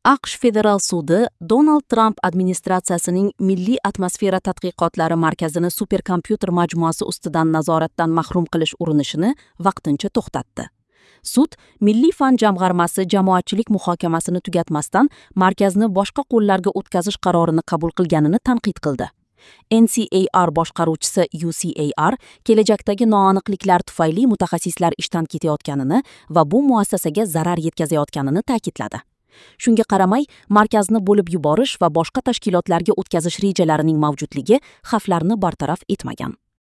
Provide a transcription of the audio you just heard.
AQSh federal sudi Donald Tramp administratsiyasining Milliy atmosfera tadqiqotlari markazini superkompyuter majmuasi ustidan nazoratdan mahrum qilish urinishini vaqtincha to'xtatdi. Sud Milliy fan jamg'armasi jamoatchilik muhokamasini tugatmasdan markazni boshqa qo'llarga o'tkazish qarorini qabul qilganini tanqid qildi. NCAR boshqaruvchisi UCAR kelajakdagi noaniqliklar tufayli mutaxassislar ishdan ketayotganini va bu muassasaga zarar yetkazayotganini ta'kidladi. Shunga qaramay, markazni bo'lib yuborish va boshqa tashkilotlarga o'tkazish rejalarining mavjudligi xavflarni bartaraf etmagan.